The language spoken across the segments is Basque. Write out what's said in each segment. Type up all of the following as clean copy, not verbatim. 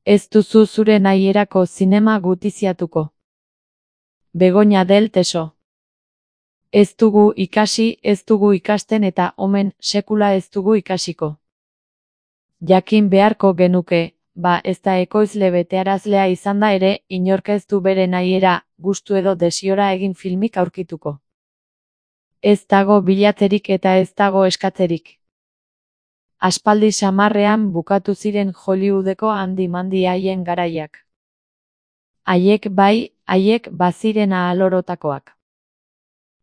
Ez duzu zure nahierako zinema gutiziatuko. Begoña del Teso. Ez dugu ikasi, ez dugu ikasten eta omen sekula ez dugu ikasiko. Jakin beharko genuke, ez da ekoizle betearazlea izan da ere, inork ez du bere nahiera, gustu edo desiora egin filmik aurkituko. Ez dago bilatzerik eta ez dago eskatzerik. Aspaldi samarrean bukatu ziren Hollywoodeko handi-mandi haien garaiak. Haiek bai, haiek baziren ahalorotakoak.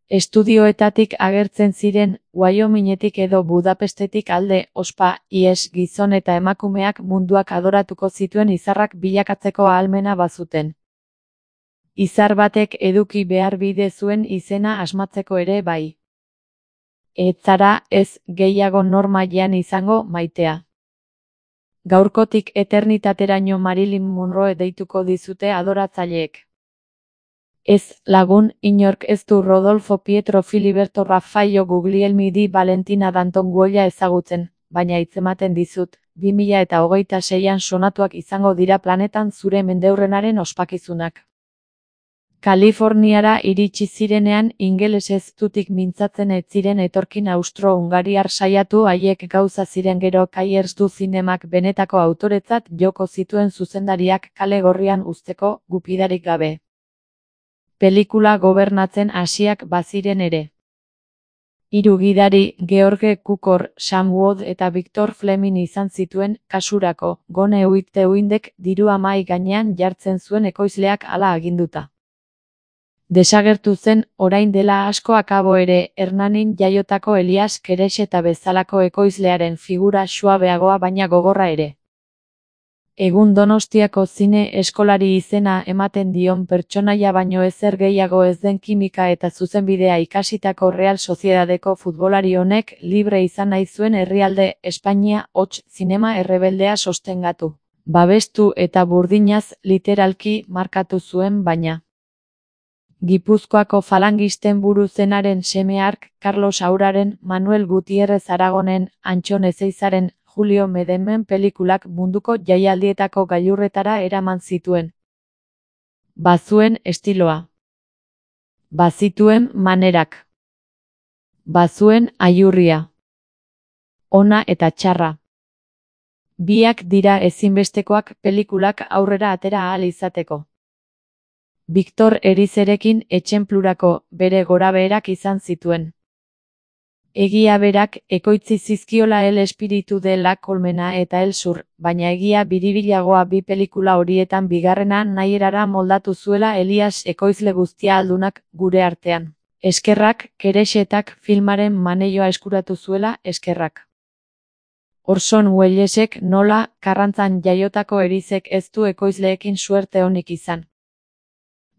Estudioetatik agertzen ziren, Wyomingetik edo Budapestetik alde, ospa, ies gizon eta emakumeak munduak adoratuko zituen izarrak bilakatzeko ahalmena bazuten. Izar batek eduki behar bide zuen izena asmatzeko ere bai. Ez zara ez gehiago normailean izango maitea. Gaurkotik eternitateraino Marilyn Monroe deituko dizute adoratzaileek. Ez lagun, inork ez du Rodolfo Pietro Filiberto Raffaello Guglielmi di Valentina Danton Guolla ezagutzen, baina hitzematen dizut, 2026an sonatuak izango dira planetan zure mendeurrenaren ospakizunak. Kaliforniara iritsi zirenean ingelesez tutik mintzatzen ez ziren etorkin austro-hungariar saiatu haiek gauza ziren gero Kaiers du zinemak benetako autoretzat joko zituen zuzendariak kale gorrian uzteko gupidarik gabe. Pelikula gobernatzen hasiak baziren ere. 3 gidari, George Cukor, Sam Wood eta Victor Fleming izan zituen, kasurako, Gone with the Windek dirua mahai gainean jartzen zuen ekoizleak hala aginduta. Desagertu zen, orain dela asko akabo ere, Hernanin jaiotako Elias Kereseta bezalako ekoizlearen figura suabeagoa baina gogorra ere. Egun Donostiako zine eskolari izena ematen dion pertsonaia baino ezer gehiago ez den kimika eta zuzenbidea ikasitako Real Sociedadeko futbolari honek libre izan nahi zuen herrialde Espainia hots zinema errebeldea sostengatu. Babestu eta burdinaz literalki markatu zuen baina. Gipuzkoako falangisten buru zenaren seme hark, Carlos Auraren, Manuel Gutierrez Aragonen, Antxon Ezeizaren, Julio Medemen pelikulak munduko jaialdietako gailurretara eraman zituen. Bazuen estiloa. Bazituen manerak. Bazuen aiurria. Ona eta txarra. Biak dira ezinbestekoak pelikulak aurrera atera ahal izateko. Victor Erizerekin etxenplurako bere gorabeherak izan zituen. Egia berak ekoitzi zizkiola El Espiritu de la Colmena eta El Sur, baina egia biribilagoa bi pelikula horietan bigarrena nahierara moldatu zuela Elias ekoizle guztia aldunak gure artean. Eskerrak, Keresetak filmaren maneioa eskuratu zuela, eskerrak. Orson Wellesek nola, Karrantzan jaiotako Erizek ez du ekoizleekin suerte onik izan.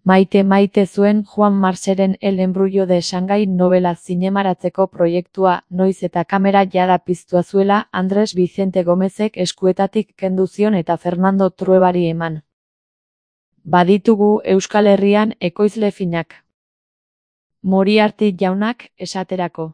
Maite zuen Juan Marseren El embrullo de Shanghai novela zinemaratzeko proiektua, noiz eta kamera jada piztua zuela Andres Vicente Gomezek eskuetatik kendu zion eta Fernando Truebari eman. Baditugu Euskal Herrian ekoizle finak. Moriarty jaunak, esaterako.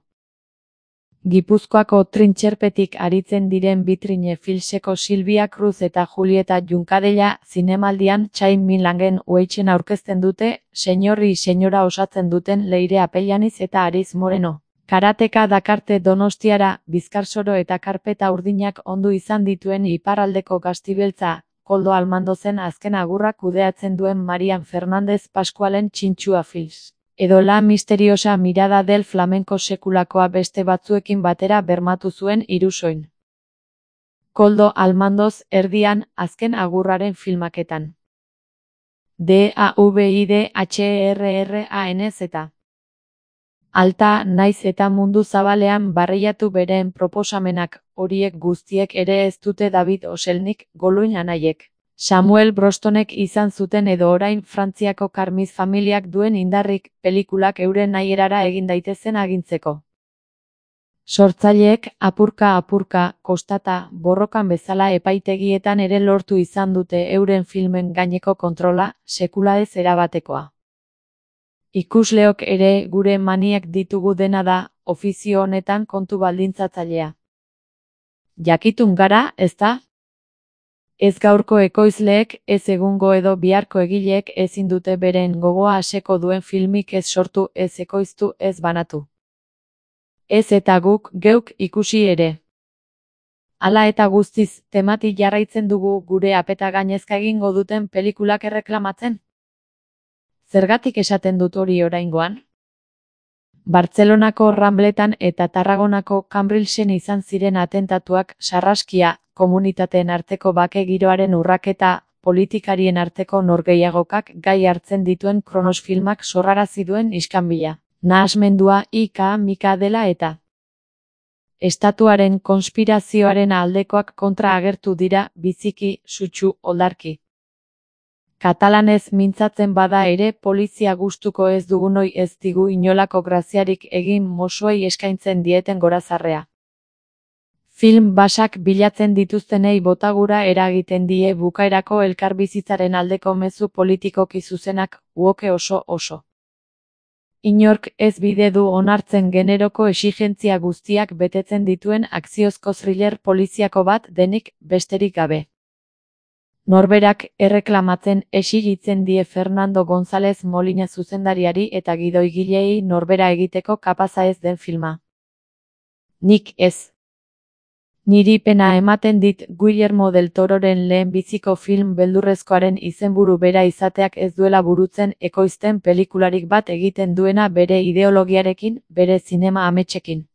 Gipuzkoako trintxerpetik aritzen diren Vitrine Filseko Silvia Cruz eta Julieta Junkadella zinemaldian Chain Milangen Weichen aurkezten dute, Señorri señora osatzen duten Leire Apellaniz eta Ariz Moreno. Karateka dakarte Donostiara, Bizkarsoro eta karpeta urdinak ondu izan dituen iparraldeko gaztibeltza, Koldo Almandozen azken agurrak kudeatzen duen Marian Fernández Pascualen Txintxua Fils. Edo La misteriosa mirada del flamenko sekulakoa beste batzuekin batera bermatu zuen Irusoin. Koldo Almandoz erdian azken agurraren filmaketan. DAVIDHERRANZ. Alta naiz eta mundu zabalean barreiatu bereen proposamenak, horiek guztiek ere ez dute David Oselnik, Goluin anaiek. Samuel Brostonek izan zuten edo orain Frantziako Karmiz familiak duen indarrik, pelikulak euren nahierara egin daitezen agintzeko. Sortzaileek apurka, kostata, borrokan bezala epaitegietan ere lortu izan dute euren filmen gaineko kontrola, sekula ez erabatekoa. Ikusleok ere gure maniak ditugu dena da, ofizio honetan kontu baldintzatzailea. Jakitun gara, ezta? Ez gaurko ekoizleek, ez egungo edo biharko egileek ezin dute beren gogoa aseko duen filmik ez sortu, ez ekoiztu, ez banatu. Ez eta guk, geuk ikusi ere. Hala eta guztiz, temati jarraitzen dugu gure apeta gainezka egingo duten pelikulak erreklamatzen? Zergatik esaten dut hori oraingoan? Bartzelonako Rambletan eta Tarragonako Cambrilsen izan ziren atentatuak sarraskia, komunitateen arteko bake giroaren urraketa, politikarien arteko norgehiagokak gai hartzen dituen Kronos filmak sorrarazi duen iskanbila, nahasmendua mika dela eta estatuaren konspirazioaren aldekoak kontra agertu dira, biziki, sutsu, oldarki. Katalanez mintzatzen bada ere polizia gustuko ez dugunoi ez digu inolako graziarik egin mosuei eskaintzen dieten gorazarrea. Film basak bilatzen dituztenei botagura eragiten die bukaerako elkarbizitzaren aldeko mezu politikoki zuzenak, uoke oso. Inork ez bide du onartzen generoko exigentzia guztiak betetzen dituen akziozko thriller poliziako bat denik besterik gabe. Norberak erreklamatzen exigitzen die Fernando González Molina zuzendariari eta gidoigilei norbera egiteko kapaza ez den filma. Nik ez. Niri pena ematen dit Guillermo del Tororen lehenbiziko film beldurrezkoaren izenburu bera izateak ez duela burutzen ekoizten pelikularik bat egiten duena bere ideologiarekin, bere zinema ametsekin.